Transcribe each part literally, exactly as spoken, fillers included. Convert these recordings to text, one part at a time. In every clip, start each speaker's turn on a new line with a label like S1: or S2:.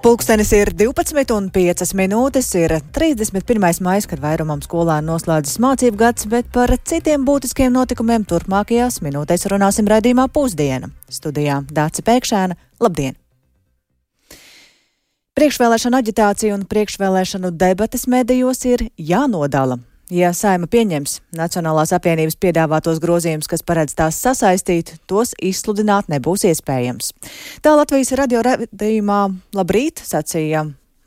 S1: Pulkstenis ir divpadsmit un piecas minūtes, ir trīsdesmit pirmais maijs, kad vairumam skolēnu noslēdzas mācību gads, bet par citiem būtiskiem notikumiem turpmākajās minūtēs runāsim raidījumā Pusdiena. Studijā Dāce Pēkšēna. Labdien! Priekšvēlēšana aģitācija un priekšvēlēšanu debates medijos ir jānodala. Ja Saeima pieņems Nacionālās apvienības piedāvātos grozījumus, kas paredz tās sasaistīt, tos izsludināt nebūs iespējams. Tā Latvijas radio raidījumā Labrīt sacīja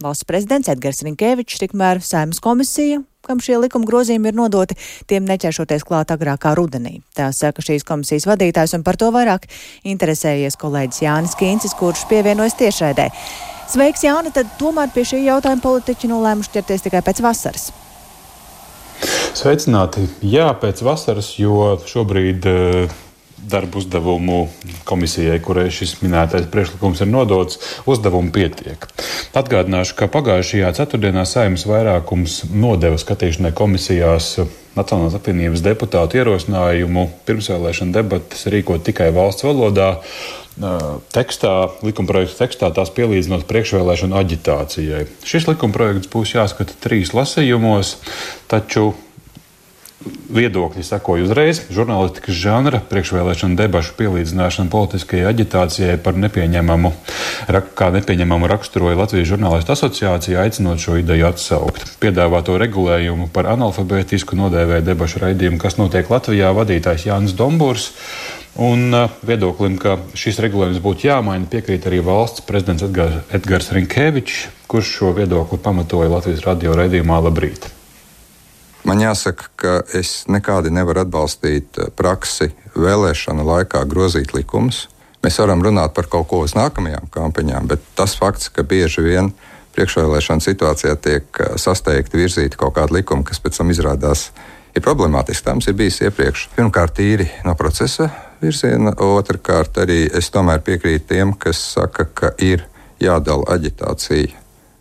S1: valsts prezidents Edgars Rinkēvičs, tikmēr Saeimas komisija, kam šie likuma grozījumi ir nodoti, tiem neķeršoties klāt agrākā rudenī. Tā saka šīs komisijas vadītājs, un par to vairāk interesējies kolēģis Jānis Kīncis, kurš pievienojas tiešraidē. Sveiks, Jāni, tad tomēr pie šī jautājuma politiķi nolēmuši ķerties tikai pēc vasaras.
S2: Sveicināti! Jā, pēc vasaras, jo šobrīd uh, darbu uzdevumu komisijai, kurai šis minētais priekšlikums ir nodots, uzdevumu pietiek. Atgādināšu, ka pagājušajā ceturtdienā Saeimas vairākums nodeva skatīšanai komisijās Nacionālās apvienības deputātu ierosinājumu pirmsvēlēšana debates rīkot tikai valsts valodā. Tekstā, likumprojekta tekstā tās pielīdzinot priekšvēlēšanu aģitācijai. Šis likumprojekts būs jāskata trīs lasījumos, taču viedokļi sekoja uzreiz. Žurnālistikas žanra priekšvēlēšana debašu pielīdzināšana politiskajai aģitācijai par nepieņemamu, kā nepieņemamu raksturoja Latvijas žurnālistu asociācija, aicinot šo ideju atsaukt. Piedāvāto regulējumu par analfabētisku nodēvēja debašu raidījumu, kas notiek Latvijā, vadītājs Jānis Dombūrs. Un viedoklim, ka šis regulējums būtu jāmaina, piekrīt arī valsts prezidents Edgars, Edgars Rinkēvičs, kurš šo viedokli pamatoja Latvijas radio raidījumā Labrīt.
S3: Man jāsaka, ka es nekādi nevaru atbalstīt praksi vēlēšanu laikā grozīt likumus. Mēs varam runāt par kaut ko uz nākamajām kampaņām, bet tas fakts, ka bieži vien priekšvēlēšana situācijā tiek sasteigti virzīti kaut kādi likumi, kas pēc tam izrādās ir problemātiski. Tā mums ir bijis iepriekš. Pirmkārt, tīri no procesa virziena, otrkārt arī es tomēr piekrītu tiem, kas saka, ka ir jādala aģitācija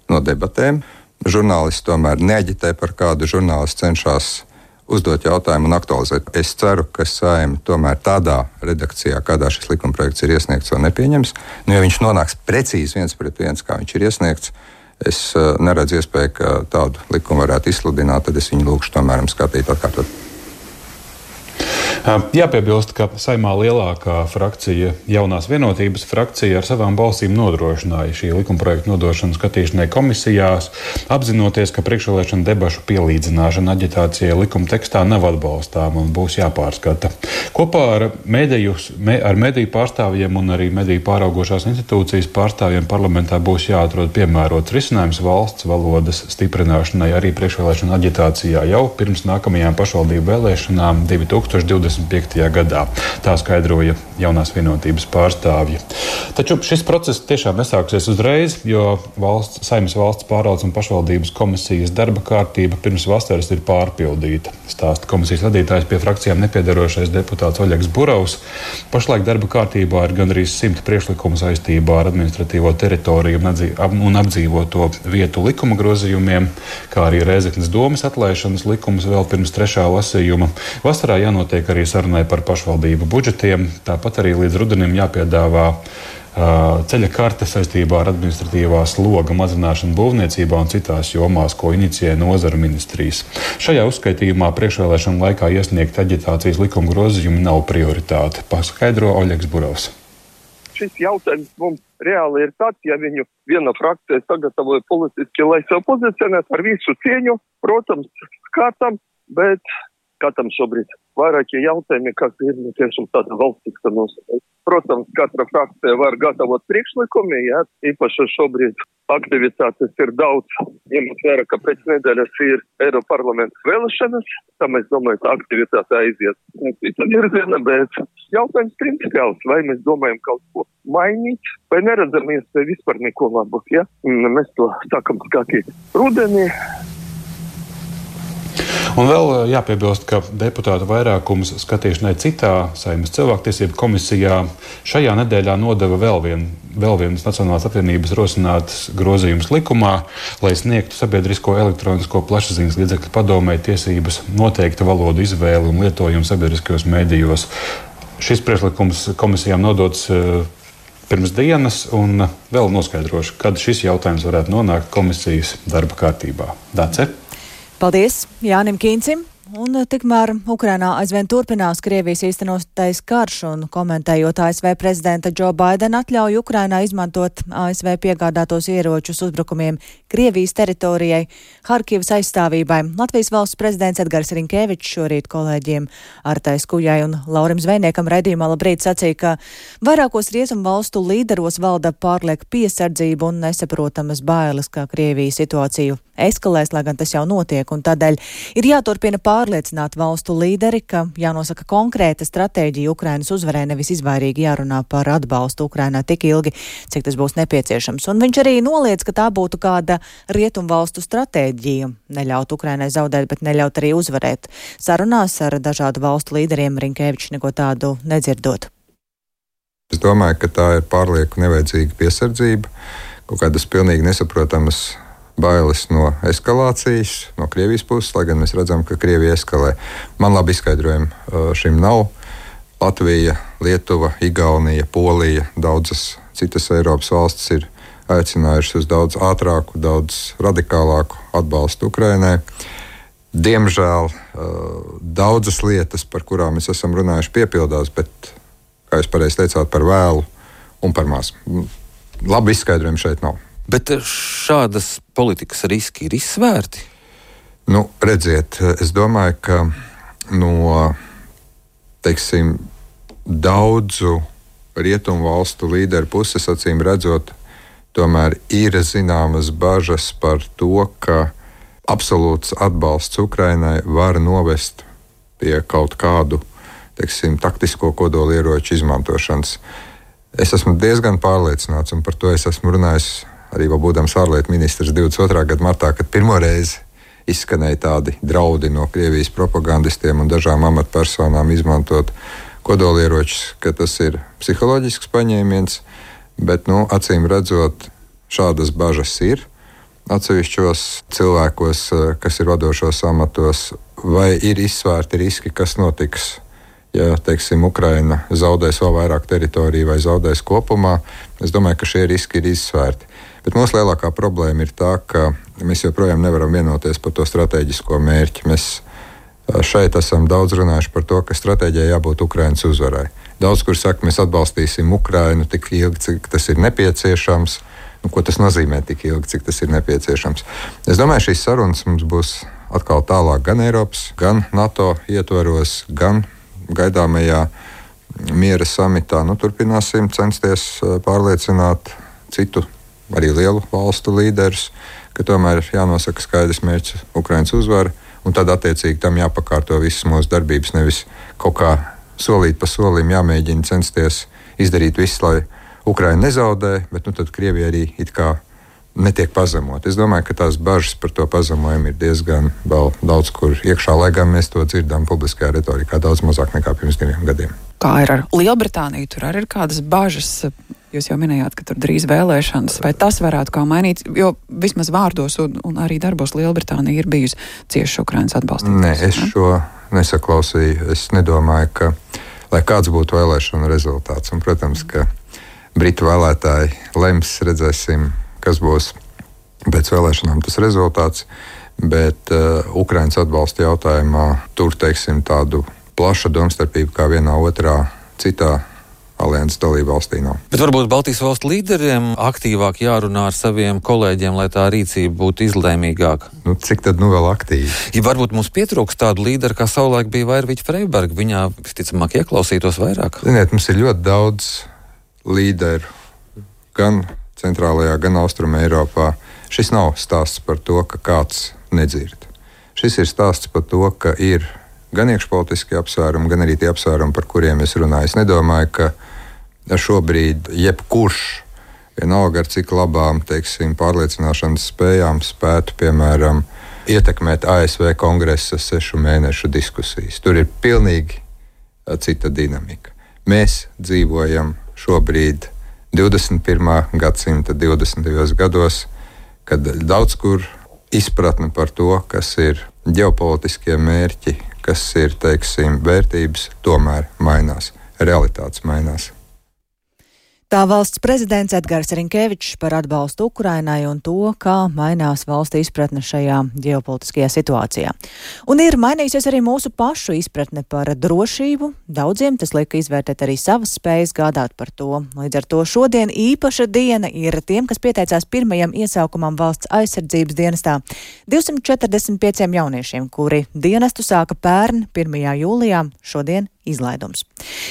S3: no debatēm. Žurnālisti tomēr neaģitē par kādu, žurnālisti cenšas uzdot jautājumu un aktualizēt. Es ceru, ka Saeima tomēr tādā redakcijā, kādā šis likumprojekts ir iesniegts, to nepieņems. Nu, ja viņš nonāks precīzi viens pret viens, kā viņš ir iesniegts, es uh, neredzu iespēju, ka tādu likumu varētu izsludināt, tad es viņu lūkšu tomēr skatīt atkārtot.
S2: Jāpiebilst, ka Saeimā lielākā frakcija, Jaunās vienotības frakcija, ar savām balsīm nodrošināja šī likumprojekta nodošanu skatīšanai komisijās, apzinoties, ka priekšvēlēšana debašu pielīdzināšana aģitācijai likuma tekstā nav atbalstāma un būs jāpārskata. Kopā ar mediju, ar mediju pārstāvjiem un arī mediju pāraugošās institūcijas pārstāvjiem parlamentā būs jāatrod piemērots risinājums valsts valodas stiprināšanai arī priekšvēlēšana aģitācijā jau pirms nākamajām pašvaldību vēlēšanām divi tūkstoši divdesmit piektajā gadā. Tā skaidroja Jaunās vienotības pārstāvji. Taču šis process tiešām nesāksies uzreiz, jo valsts, Saeimas valsts pārvaldes un pašvaldības komisijas darba kārtība pirms vasaras ir pārpildīta. Stāsta komisijas vadītājs pie frakcijām nepiedarošais deputāts Oļegs Burovs. Pašlaik darba kārtībā ir gandrīz simt priekšlikumu saistībā ar administratīvo teritoriju un apdzīvoto vietu likuma grozījumiem, kā arī Rēzeknes domes atlaišanas likums vēl pirms trešā lasījuma. Vasarā jānotiek arī sarunai par pašvaldību budžetiem, tāpat arī līdz rudenim jāpiedāvā uh, ceļa karte saistībā ar administratīvā sloga mazināšanu būvniecībā un citās jomās, ko inicijē nozara ministrijas. Šajā uzskaitījumā priekšvēlēšana laikā iesniegt aģitācijas likuma grozījumi nav prioritāte, paskaidro Oļegs Burovs.
S4: Šis jautājums mums reāli ir tāds, ja viņu viena frakcija sagatavoja politiski, lai sev pozicionētu ar visu cieņu, protams, skatam, bet skatam šobrīd vairākie jautājumi, kas ir tiešām tāda valstiska nosaka. Protams, katra frakcija var gatavot priekšlikumi, jā, īpaši šobrīd aktivitātes ir daudz, ņemot vērā, ka pēc nedēļas ir Eiroparlamenta vēlēšanas, tam es domāju, ka aktivitāte aiziet cita virziena, bet jautājums principiāls, vai mēs domājam kaut ko mainīt, vai neredzam iespēju vispār neko labu, jā. Mēs to sākam skatīt rudenī.
S2: Un vēl jāpiebilst, ka deputātu vairākums skatīšanai citā Saeimas cilvēktiesību komisijā šajā nedēļā nodeva vēl, vien, vēl vienas Nacionālās apvienības rosinātas grozījums likumā, lai sniegtu sabiedrisko elektronisko plašsaziņas līdzekļu padomei tiesības noteikta valodu izvēli un lietojumu sabiedriskajos mēdījos. Šis priekšlikums komisijām nodots pirms dienas, un vēl noskaidrošu, kad šis jautājums varētu nonākt komisijas darba kārtībā. Dace?
S1: Paldies Jānim Kīncim. Un tikmēr Ukrainā aizvien turpinās Krievijas īstenotais karš, un komentējot A S V prezidenta Džo Baidena atļauju Ukrainā izmantot A S V piegādātos ieročus uzbrukumiem Krievijas teritorijai, Harkivas aizstāvībai. Latvijas valsts prezidents Edgars Rinkēvičs šorīt kolēģiem Artai Skujai un Laurim Zvejniekam raidījumā Labrīt sacīja, ka vairākos rietumu valstu līderos valda pārlieka piesardzība un nesaprotamas bailes, kā Krievija situāciju eskalēs, lai gan tas jau notiek, un tādēļ ir jāturpina pārliecināt valstu līderi, ka jānosaka konkrēta stratēģija Ukrainas uzvarē, nevis izvairīgi jārunā par atbalstu Ukrainā tik ilgi, cik tas būs nepieciešams. Un viņš arī noliedz, ka tā būtu kāda rietumu valstu stratēģija neļaut Ukrainai zaudēt, bet neļaut arī uzvarēt. Sarunās ar dažādu valstu līderiem Rinkēvičs neko tādu nedzirdot.
S3: Es domāju, ka tā ir pārlieku nevajadzīga piesardzība, kaut kādas pilnīgi nesaprotamas bailes no eskalācijas, no Krievijas puses, lai gan mēs redzam, ka Krievija eskalē. Man labi izskaidrojumi šim nav. Latvija, Lietuva, Igaunija, Polija, daudzas citas Eiropas valstis ir aicinājušas uz daudz ātrāku, daudz radikālāku atbalstu Ukrainai. Diemžēl daudzas lietas, par kurām mēs esam runājuši, piepildās, bet, kā jūs pareizi teicāt, par vēlu un par maz. Labi izskaidrojumi šeit nav.
S5: Bet šādas politikas riski ir izsvērti?
S3: Nu, redziet, es domāju, ka no, teiksim, daudzu rietumu valstu līderu puses, acīm redzot, tomēr ir zināmas bažas par to, ka absolūts atbalsts Ukrainai var novest pie kaut kādu, teiksim, taktisko kodolieroču izmantošanas. Es esmu diezgan pārliecināts, un par to es esmu runājis arī vēl būdams ārlietu ministrs divdesmit otrā gada martā, kad pirmo reizi izskanēja tādi draudi no Krievijas propagandistiem un dažām amatpersonām izmantot kodolieročus, ka tas ir psiholoģisks paņēmiens, bet, nu, acīm redzot, šādas bažas ir atsevišķos cilvēkos, kas ir vadošos amatos, vai ir izsvērti riski, kas notiks, ja, teiksim, Ukraina zaudēs vēl vairāk teritoriju vai zaudēs kopumā. Es domāju, ka šie riski ir izsvērti. Bet mūsu lielākā problēma ir tā, ka mēs joprojām nevaram vienoties par to strateģisko mērķi. Mēs šeit esam daudz runājuši par to, ka stratēģijai jābūt Ukrainas uzvarai. Daudz, kur saka, mēs atbalstīsim Ukrainu tik ilgi, cik tas ir nepieciešams. Nu, ko tas nozīmē tik ilgi, cik tas ir nepieciešams? Es domāju, šīs sarunas mums būs atkal tālāk gan Eiropas, gan NATO ietvaros, gan gaidāmajā miera samitā. Nu, turpināsim censties pārliecināt citu, arī lielu valstu līderus, ka tomēr ir jānosaka skaidrs mērķis Ukrainas uzvara, un tad attiecīgi tam jāpakārto visas mūsu darbības, nevis kaut kā solīt pa solim jāmēģina censties izdarīt visu, lai Ukraina nezaudē, bet nu tad Krievija arī it kā netiek pazemot. Es domāju, ka tās bažas par to pazemojumu ir diezgan vēl daudz kur iekšā, lai gan mēs to dzirdam publiskajā retorikā daudz mazāk nekā pirms diviem gadiem.
S6: Kā ir ar Lielbritāniju? Tur arī ir kādas bažas. Jūs jau minējāt, ka tur drīz vēlēšanas. Vai tas varētu kā mainīt? Jo vismaz vārdos un, un arī darbos Lielbritānija ir bijusi cieši Ukrainas atbalstītājs.
S3: Nē, es ne? šo nesaklausīju. Es nedomāju, ka lai kāds būtu vēlēšanu rezultāts. Un, protams, ka Britu vēlētāji lems, redzēsim, kas būs pēc vēlēšanām tas rezultāts. Bet uh, Ukrainas atbalsta jautājumā tur, teiksim, tādu plaša domstarpība kā vienā otrā citā alianses dalību valstī nav.
S5: Bet varbūt Baltijas valstu līderiem aktīvāk jārunā ar saviem kolēģiem, lai tā rīcība būtu izlēmīgāka.
S3: Nu, cik tad nu vēl aktīvi?
S5: Ja varbūt mums pietrūks tādu līderu, kā savulaik bija Vairviķa Freiberga, viņā visticamāk ieklausītos vairāk.
S3: Ziniet, mums ir ļoti daudz līderu, gan centrālajā, gan austruma Eiropā. Šis nav stāsts par to, ka kāds nedzird. Šis ir stāsts par to, ka ir gan iekšpolitiski apsvērumi, gan arī tie apsvērumi, par kuriem es runāju. Es nedomāju, ka šobrīd jebkurš, vienalga ar cik labām, teiksim, pārliecināšanas spējām spētu, piemēram, ietekmēt A S V kongresa sešu mēnešu diskusijas. Tur ir pilnīgi cita dinamika. Mēs dzīvojam šobrīd divdesmit pirmā gadsimta divdesmitajos gados, kad daudz kur izpratne par to, kas ir ģeopolitiskie mērķi, kas ir, teiksim, vērtības, tomēr mainās. Realitātes mainās.
S1: Tā valsts prezidents Edgars Rinkevičs par atbalstu Ukrainai un to, kā mainās valsts izpratne šajā ģeopolitiskajā situācijā. Un ir mainījusies arī mūsu pašu izpratne par drošību. Daudziem tas liek izvērtēt arī savas spējas gādāt par to. Līdz ar to šodien īpaša diena ir tiem, kas pieteicās pirmajam iesaukumam valsts aizsardzības dienestā. divsimt četrdesmit pieciem jauniešiem, kuri dienestu sāka pērn pirmajā jūlijā, šodien izlaidums.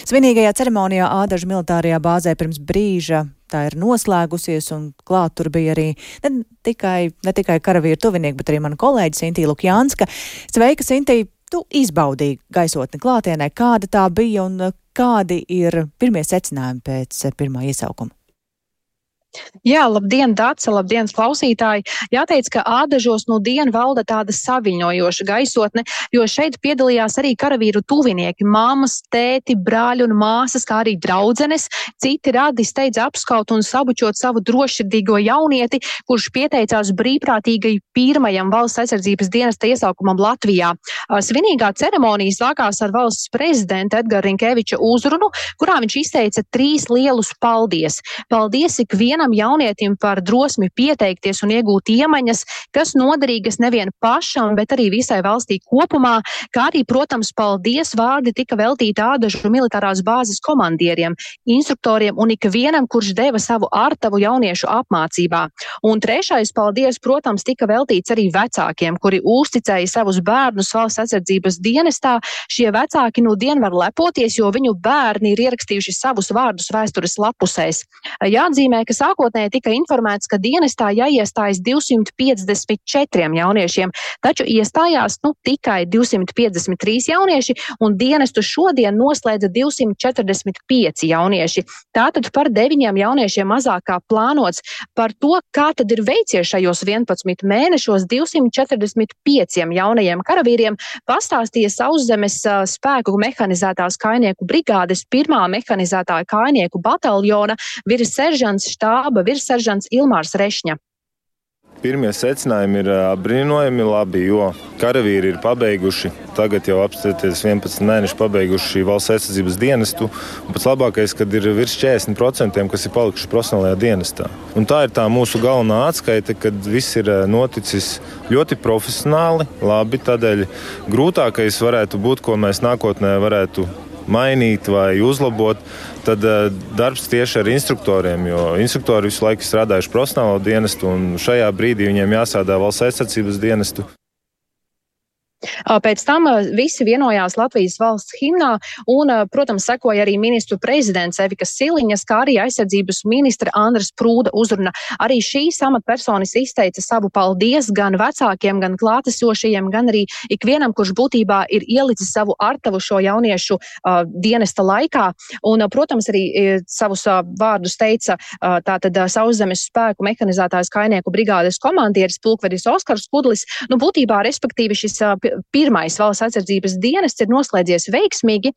S1: Svinīgajā ceremonijā Ādažu militārajā bāzē pirms brīža tā ir noslēgusies, un klāt tur bija arī ne tikai, ne tikai karavīru tuvinieki, bet arī mana kolēģe Sintī Lukjānska. Sveika, Sintī! Tu izbaudīji gaisotni klātienē. Kāda tā bija un kādi ir pirmie secinājumi pēc pirmā iesaukuma?
S7: Jā, labdien, Dace, labdien, klausītāji. Jāteic, ka Ādažos no dienu valda tāda saviņojoša gaisotne, jo šeit piedalījās arī karavīru tuvinieki, māmas, tēti, brāļi un māsas, kā arī draudzenes. Citi radi steidz apskaut un sabučot savu drošsirdīgo jaunieti, kurš pieteicās brīvprātīgai pirmajam valsts aizsardzības dienesta iesaukumam Latvijā. Svinīgā ceremonija sākās ar valsts prezidenta Edgara Rinkeviča uzrunu, kurā viņš izteica trīs lielus paldies. Paldies ikvienam jaunietim par drosmi pieteikties un iegūt iemaņas, kas noderīgas nevien pašam, bet arī visai valstī kopumā, kā arī, protams, paldies vārdi tika veltīti Ādažu militārās bāzes komandieriem, instruktoriem un ikvienam, kurš deva savu artavu jauniešu apmācībā. Un trešais paldies, protams, tika veltīts arī vecākiem, kuri uzticēja savus bērnus valsts aizsardzības dienestā. Šie vecāki nu dien var lepoties, jo viņu bērni ir ierakstījuši savus vārdus vēstures lapusēs. Jāatzīmē, ka sākotnēji tika informēts, ka dienestā jāiestājas divsimt piecdesmit četriem jauniešiem, taču iestājās nu, tikai divsimt piecdesmit trīs jaunieši, un dienestu šodien noslēdza divsimt četrdesmit pieci jaunieši. Tātad par deviņiem jauniešiem mazāk kā plānots. Par to, kā tad ir veicies šajos vienpadsmit mēnešos divsimt četrdesmit pieciem jaunajiem karavīriem, pastāstīja Sauszemes spēku mehanizētās kājnieku brigādes pirmā mehanizētā kājnieku bataljona virsseržants štāba virsseržants Ilmārs Rešņa.
S8: Pirmie secinājumi ir brīnojami labi, jo karavīri ir pabeiguši, tagad jau apstāties vienpadsmit mēneši pabeiguši valsts aizsardzības dienestu, un pats labākais, kad ir virs četrdesmit procenti, kas ir palikuši profesionālajā dienestā. Un tā ir tā mūsu galvenā atskaite, kad viss ir noticis ļoti profesionāli, labi, tādēļ grūtākais varētu būt, ko mēs nākotnē varētu mainīt vai uzlabot, tad uh, darbs tieši ar instruktoriem, jo instruktori visu laiku strādājuši profesionālo dienestu, un šajā brīdī viņiem jāsādā valsts aizsardzības dienestu.
S7: Pēc tam visi vienojās Latvijas valsts himnā un, protams, sekoja arī ministru prezidents Evika Siliņas, kā arī aizsardzības ministra Andras Prūda uzruna. Arī šīs amatpersonas izteica savu paldies gan vecākiem, gan klātesošajiem, gan arī ikvienam, kurš būtībā ir ielicis savu artavu šo jauniešu uh, dienesta laikā. Un, protams, arī savus uh, vārdus teica uh, tātad Sauszemes spēku mehanizētājs kājnieku brigādes komandieris pulkvedis Oskars Kudlis. Nu, būtībā, respektīvi, šis uh, pirmais valsts aizsardzības dienests ir noslēdzies veiksmīgi.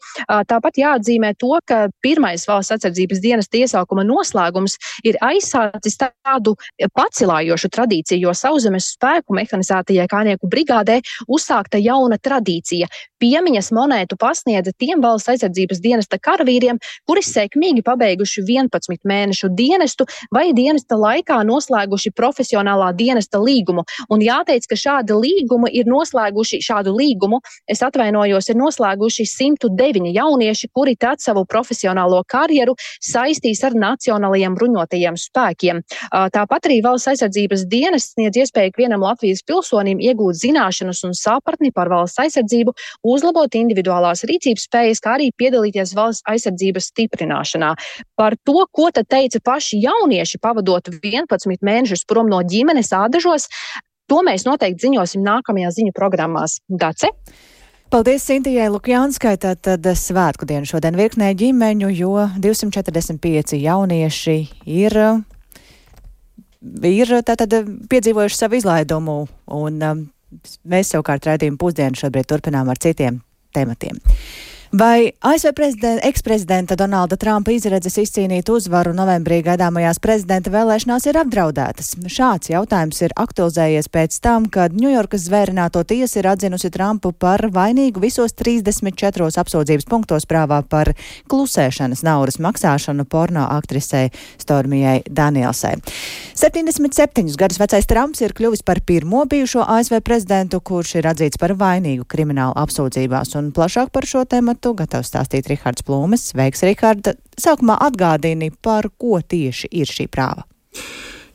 S7: Tāpat jāatzīmē to, ka pirmais valsts aizsardzības dienesta iesaukuma noslēgums ir aizsācis tādu pacilājošu tradīciju, jo Sauszemes spēku mehanizētajai kājnieku brigādē uzsākta jauna tradīcija. Piemiņas monētu pasniedza tiem valsts aizsardzības dienesta karavīriem, kuri sekmīgi pabeiguši vienpadsmit mēnešu dienestu vai dienesta laikā noslēguši profesionālā dienesta līgumu. Un jāteic, ka šādi līgumi ir noslēguši šādu līgumu, es atvainojos, ir noslēguši simt deviņi jaunieši, kuri tad savu profesionālo karjeru saistīs ar nacionālajiem bruņotajiem spēkiem. Tāpat arī valsts aizsardzības dienests sniedz iespēju ikvienam Latvijas pilsonim iegūt zināšanas un sapratni par valsts aizsardzību, uzlabot individuālās rīcības spējas, kā arī piedalīties valsts aizsardzības stiprināšanā. Par to, ko tad teica paši jaunieši, pavadot vienpadsmit mēnešus prom no ģimenes Ādažos, to mēs noteikti ziņosim nākamajās ziņu programmās. Dace?
S1: Paldies Sintijai Lukjānskai, tad svētku dienu šodien virknē ģimeņu, jo divsimt četrdesmit pieci jaunieši ir, ir tātad piedzīvojuši savu izlaidumu, un mēs savukārt raidījumu pusdienu šobrīd turpinām ar citiem tematiem. Vai A S V prezidenta, eksprezidenta Donalda Trumpa izredzes izcīnīt uzvaru novembrī gaidāmajās prezidenta vēlēšanās ir apdraudētas? Šāds jautājums ir aktualizējies pēc tam, kad Ņujorkas zvērināto tiesa ir atzinusi Trumpu par vainīgu visos trīsdesmit četros apsūdzības punktos prāvā par klusēšanas naudas maksāšanu porno aktrisei Stormijai Danielsai. septiņdesmit septiņus gadus vecais Trumps ir kļuvis par pirmo bijušo A S V prezidentu, kurš ir atzīts par vainīgu kriminālu apsūdzībās, un plašāk par šo tēmatu gatavs stāstīt Rihards Plūmes. Sveiks, Riharda! Sākumā atgādini, par ko tieši ir šī prāva.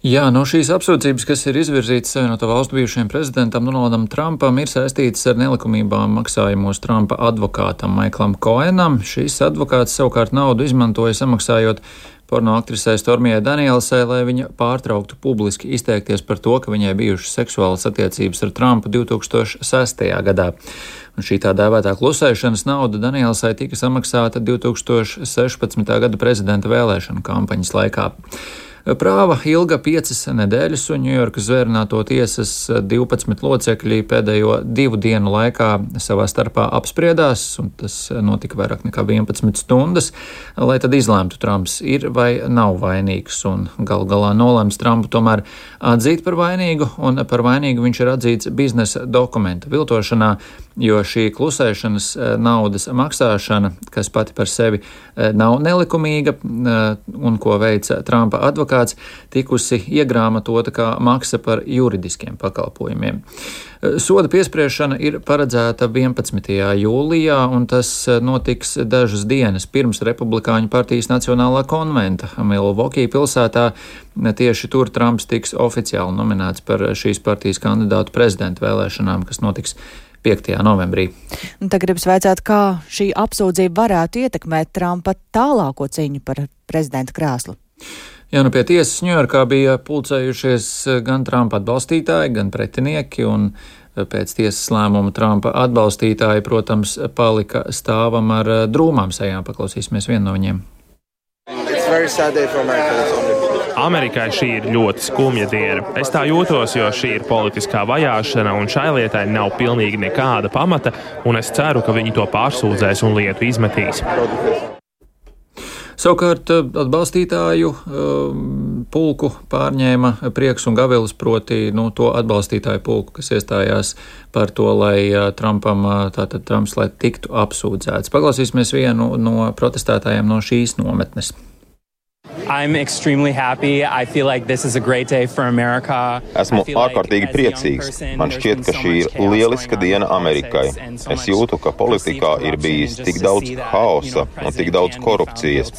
S9: Jā, no šīs apsūdzības, kas ir izvirzītas Savienoto Valstu bijušajam prezidentam Donaldam Trumpam, ir saistītas ar nelikumībām maksājumos Trumpa advokātam Maiklam Koenam. Šīs advokāts savukārt naudu izmantoja samaksājot porno aktrisei Stormijai Danielsai, lai viņa pārtrauktu publiski izteikties par to, ka viņai bijušas seksuālas attiecības ar Trumpu divi tūkstoši sestajā gadā. Un šī tā dēvētā klusēšanas nauda Danielsai tika samaksāta divi tūkstoši sešpadsmitā gada prezidenta vēlēšanu kampaņas laikā. Prāva ilga piecas nedēļas, un Ņujorkas zvērināto tiesas divpadsmit locekļi pēdējo divu dienu laikā savā starpā apspriedās, un tas notika vairāk nekā vienpadsmit stundas, lai tad izlēmtu, Trumps ir vai nav vainīgs, un gal galā nolēms Trumpu tomēr atzīt par vainīgu, un par vainīgu viņš ir atzīts biznesa dokumenta viltošanā, jo šī klusēšanas naudas maksāšana, kas pati par sevi nav nelikumīga, un ko veica Trumpa advokāts, tikusi iegrāmatota kā maksa par juridiskiem pakalpojumiem. Soda piespriešana ir paredzēta vienpadsmitajā jūlijā, un tas notiks dažas dienas pirms Republikāņu partijas Nacionālā konventa Milwaukee pilsētā. Tieši tur Trumps tiks oficiāli nominēts par šīs partijas kandidātu prezidenta vēlēšanām, kas notiks piektajā novembrī.
S1: Un tagad gribas vaicāt, kā šī apsūdzība varētu ietekmēt Trumpa tālāko cīņu par prezidenta krēslu.
S9: Jā, nu pie tiesas Ņujorkā bija pulcējušies gan Trumpa atbalstītāji, gan pretinieki, un pēc tiesas lēmuma Trumpa atbalstītāji, protams, palika stāvam ar drūmām sejām. Paklausīsimies vienu no viņiem.
S10: Amerikai šī ir ļoti skumja diena. Es tā jūtos, jo šī ir politiskā vajāšana, un šai lietai nav pilnīgi nekāda pamata, un es ceru, ka viņi to pārsūdzēs un lietu izmetīs.
S9: Savukārt atbalstītāju um, pulku pārņēma Prieks un Gavilis, proti nu, to atbalstītāju pulku, kas iestājās par to, lai uh, Trumpam, uh, tātad Trumps, lai tiktu apsūdzēts. Paklausīsimies vienu no protestētājiem no šīs nometnes.
S11: I'm extremely happy. I feel like this is a great day for America.
S12: Esmu ārkārtīgi priecīgs. Man šķiet, ka šī ir lieliska diena Amerikai. Es jūtu, ka politikā ir bijis tik daudz haosa un tik daudz korupcijas.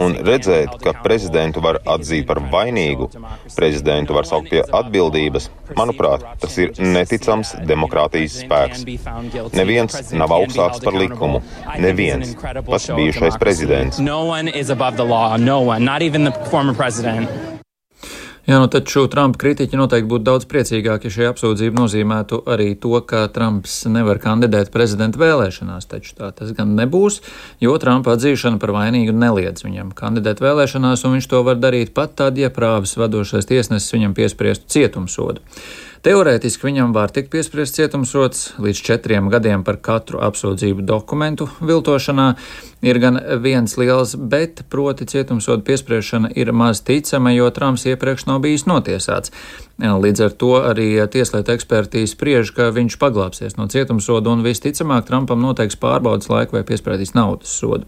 S12: Un redzēt, ka prezidentu var atzīt par vainīgu, prezidentu var saukt pie atbildības, manuprāt, tas ir neticams demokrātijas spēks. Neviens nav augstāks par likumu. Neviens. Pats bijušais prezidents.
S11: No one is above the law. No one. Not even the former president.
S9: Jā, nu taču Trumpa kritiķi noteikti būtu daudz priecīgāki, ja šī apsūdzība nozīmētu arī to, ka Trumps nevar kandidēt prezidenta vēlēšanās, taču tā tas gan nebūs, jo Trumpa atzīšana par vainīgu neliedz viņam kandidēt vēlēšanās, un viņš to var darīt pat tad, ja prāvas vadošais tiesnesis viņam piespriestu cietumsodu. Teorētiski viņam var tikt piespriests cietumsods līdz četriem gadiem par katru apsūdzību dokumentu viltošanā. Ir gan viens liels bet, proti cietumsoda piespriešana ir maz ticama, jo Trumps iepriekš nav bijis notiesāts. Līdz ar to arī tieslietu eksperti spriež, ka viņš paglāpsies no cietumsoda un visticamāk Trumpam noteiks pārbaudas laiku vai piesprādīs naudas sodu.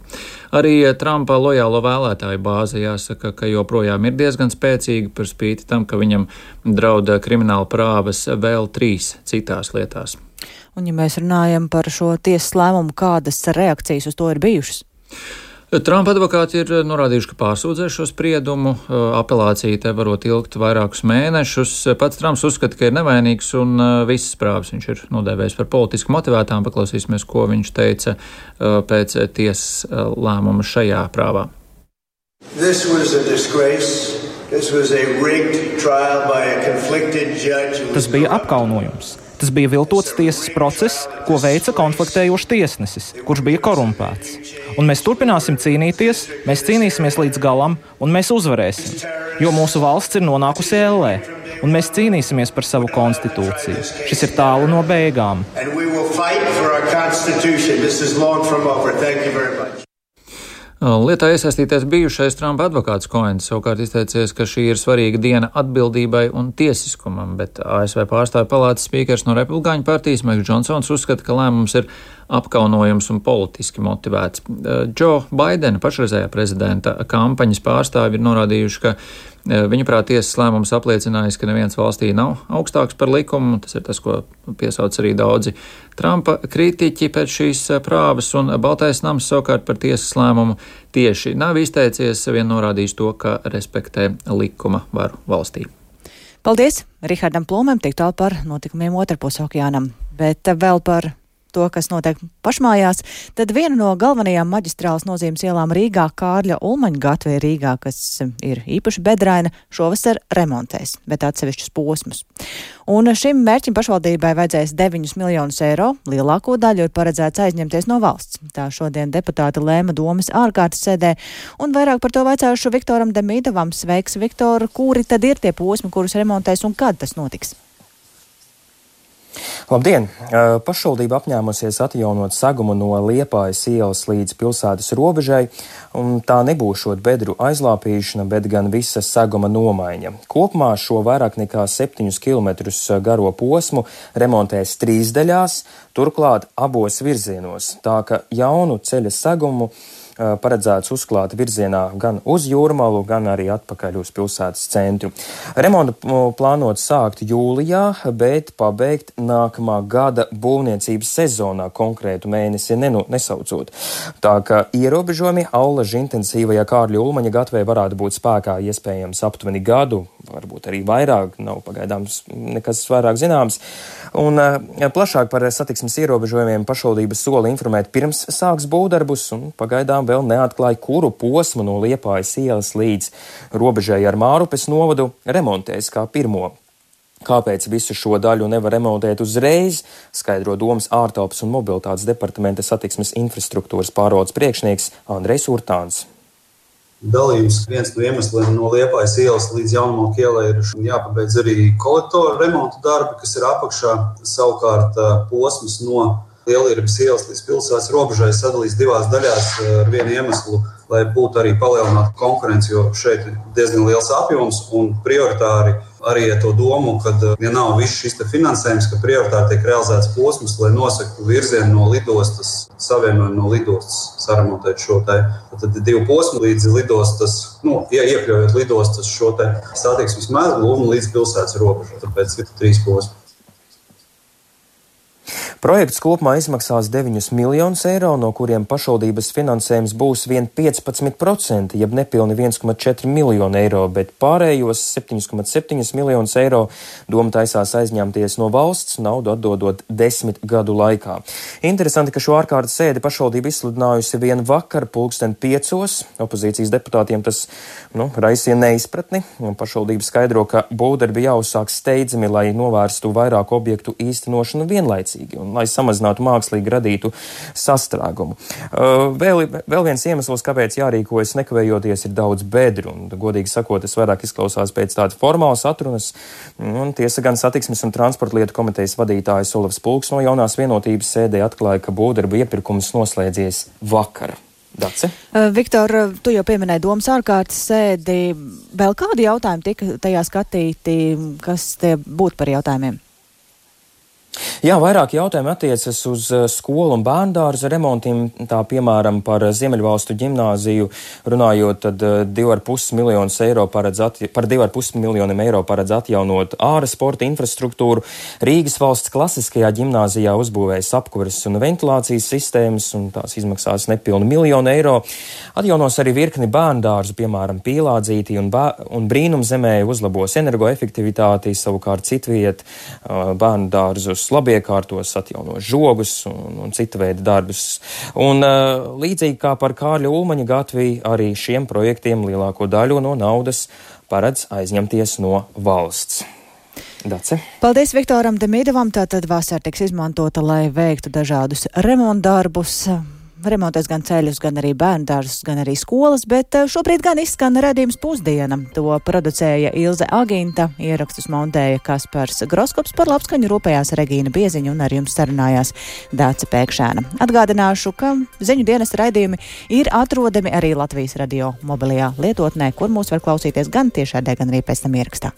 S9: Arī Trumpa lojālo vēlētāju bāze jāsaka, ka joprojām ir diezgan spēcīga par spīti tam, ka viņam drauda krimināla prāvas vēl trīs citās lietās.
S1: Un ja mēs runājam par šo tiesas lēmumu, kādas reakcijas uz to ir bijušas?
S9: Trumpa advokāti ir norādījuši, ka pārsūdzēs šo spriedumu. Apelācija te varot ilgt vairākus mēnešus. Pats Trumps uzskata, ka ir nevainīgs un visas prāvas viņš ir nodēvējis par politiski motivētām. Paklausīsimies, ko viņš teica pēc tiesas lēmuma šajā prāvā.
S13: Tas bija apkaunojums. Tas bija viltots tiesas process, ko veica konfliktējošs tiesnesis, kurš bija korumpēts. Un mēs turpināsim cīnīties, mēs cīnīsimies līdz galam, un mēs uzvarēsim, jo mūsu valsts ir nonākusi ellē, un mēs cīnīsimies par savu konstitūciju. Šis ir tālu no beigām.
S9: Lietā iesaistīties bijušais Trumpa advokāts Koens savukārt izteicies, ka šī ir svarīga diena atbildībai un tiesiskumam, bet A S V pārstāvju palātas spīkers no Republikāņu partijas Maiks Džonsons uzskata, ka lēmums ir apkaunojums un politiski motivēts. Džo Baidena, pašreizējā prezidenta kampaņas pārstāvji, ir norādījuši, ka viņuprāt tiesas lēmums apliecinājis, ka neviens valstī nav augstāks par likumu. Tas ir tas, ko piesauc arī daudzi Trumpa kritiķi pēc šīs prāvas, un Baltais nams savukārt par tiesas lēmumu tieši nav izteicies, vien norādījis to, ka respektē likuma varu valstī.
S1: Paldies Rihardam Plūmēm tik tālu par notikumiem otrpus okeānam, bet vēl par to, kas notiek pašmājās, tad viena no galvenajām maģistrālas nozīmes ielām Rīgā, Kārļa Ulmaņa gatve Rīgā, kas ir īpaši bedraina, šovasar remontēs, bet atsevišķus posmus. Un šim mērķim pašvaldībai vajadzēs deviņus miljonus eiro, lielāko daļu ir paredzēts aizņemties no valsts. Tā šodien deputāti lēma domas ārkārtas sēdē, un vairāk par to vaicājušu Viktoram Demīdovam. Sveiks, Viktor, kuri tad ir tie posmi, kurus remontēs un kad tas notiks?
S14: Labdien! Pašvaldība apņēmusies atjaunot segumu no Liepājas ielas līdz pilsētas robežai, un tā nebūšot bedru aizlāpīšana, bet gan visa seguma nomaiņa. Kopumā šo vairāk nekā septiņus kilometrus garo posmu remontēs trīs daļās, turklāt abos virzienos, tā ka jaunu ceļa segumu paredzēts uzklāt virzienā gan uz Jūrmalu, gan arī atpakaļ uz pilsētas centru. Remontu plānot sākt jūlijā, bet pabeigt nākamā gada būvniecības sezonā, konkrētu mēnesi nenu, nesaucot. Tā ka ierobežojumi allaži intensīvajā Kārļa Ulmaņa gatvē varētu būt spēkā iespējams aptuveni gadu, varbūt arī vairāk, nav pagaidāms nekas vairāk zināms. Un plašāk par satiksmes ierobežojumiem pašvaldība sola informēt pirms sāks būvdarbus, un pagaidām vēl neatklāja, kuru posmu no Liepājas ielas līdz robežai ar Mārupes novadu remontēs kā pirmo. Kāpēc visu šo daļu nevar remontēt uzreiz, skaidro Domas ārtelpas un mobilitātes departamenta satiksmes infrastruktūras pārvaldes priekšnieks Andrejs Urtāns.
S15: Dalījums viens no iemesliem no Liepājas ielas līdz Jaunmalku ielai ir jāpabeidz arī kolektoru remontu darbi, kas ir apakšā. Savukārt posms no Lielierbas ielas līdz pilsētas robežai sadalīs divās daļās ar vienu iemeslu, lai būtu arī palielināta konkurence, jo šeit ir diezgan liels apjoms un prioritāri arī ar to domu, kad, ja nav viss šis te finansējums, ka prioritāri tiek realizēts posms, lai nosaktu virzienu no lidostas, savienojumu no lidostas, saremontēt šo te. Tad divu posmu līdz lidostas, nu, iekļaujot lidostas šo te satiksmes mezglu un līdz pilsētas robežai. Tāpēc ir trīs posmi.
S14: Projekts kopumā izmaksās deviņus miljonus eiro, no kuriem pašvaldības finansējums būs vien piecpadsmit procenti, jeb nepilni viens komats četri miljoni eiro, bet pārējos septiņus komats septiņi miljonus eiro doma taisās aizņemties no valsts, naudu atdodot desmit gadu laikā. Interesanti, ka šo ārkārtas sēdi pašvaldība izsludinājusi vien vakar pulksten piecos. Opozīcijas deputātiem tas, nu, raisīja neizpratni, un pašvaldība skaidro, ka būvdarbi jāuzsāk steidzami, lai novērstu vairāku objektu īstenošanu vienlaicīgi un lai samazinātu mākslīgi radītu sastrēgumu. Uh, vēl, vēl viens iemesls, kāpēc jārīkojas nekavējoties, ir daudz bedru, un, godīgi sakot, tas vairāk izklausās pēc tādas formālas atrunas, un tiesa gan satiksmes un transporta lietu komitejas vadītājs Olavs Pulks no Jaunās vienotības sēdē atklāja, ka būvdarbu iepirkums noslēdzies vakar. Dace?
S1: Uh, Viktor, tu jau pieminēji Domas ārkārtas sēdi. Vēl kādi jautājumi tika tajā skatīti, kas tie būtu par jautājumiem?
S14: Jā, vairāk jautājumi attiecas uz skolu un bērndārza remontiem, tā piemēram par Ziemeļvalstu ģimnāziju runājot, tad divi ar pus miljonus eiro paredz atja, par divi ar pus miljoniem eiro paredz atjaunot āra sporta infrastruktūru. Rīgas valsts klasiskajā ģimnāzijā uzbūvējas apkuras un ventilācijas sistēmas, un tās izmaksās nepilnu miljonu eiro. Atjaunos arī virkni bērndārzu, piemēram, Pīlādzītī un, bā, un Brīnumzemē uzlabos energoefektivitāti, savukārt citviet bērndārzus labiekārtos, atjaunos žogus un, un cita veida darbus. Un uh, līdzīgi kā par Kārļa Ulmaņa gatvi, arī šiem projektiem lielāko daļu no naudas paredz aizņemties no valsts. Dace.
S1: Paldies Viktoram Demīdovam. Tātad vasara tiks izmantota, lai veiktu dažādus remontdarbus. Remontēs gan ceļus, gan arī bērndārzus, gan arī skolas, bet šobrīd gan izskan redzījums pusdiena. To producēja Ilze Aginta, ierakstus montēja Kaspars Groskops, par labskaņu rūpējās Regīna Bieziņa un ar jums sarunājās Dāce Pēkšēna. Atgādināšu, ka ziņu dienas raidījumi ir atrodami arī Latvijas radio mobilajā lietotnē, kur mūs var klausīties gan tiešādē, gan arī pēc tam ierakstā.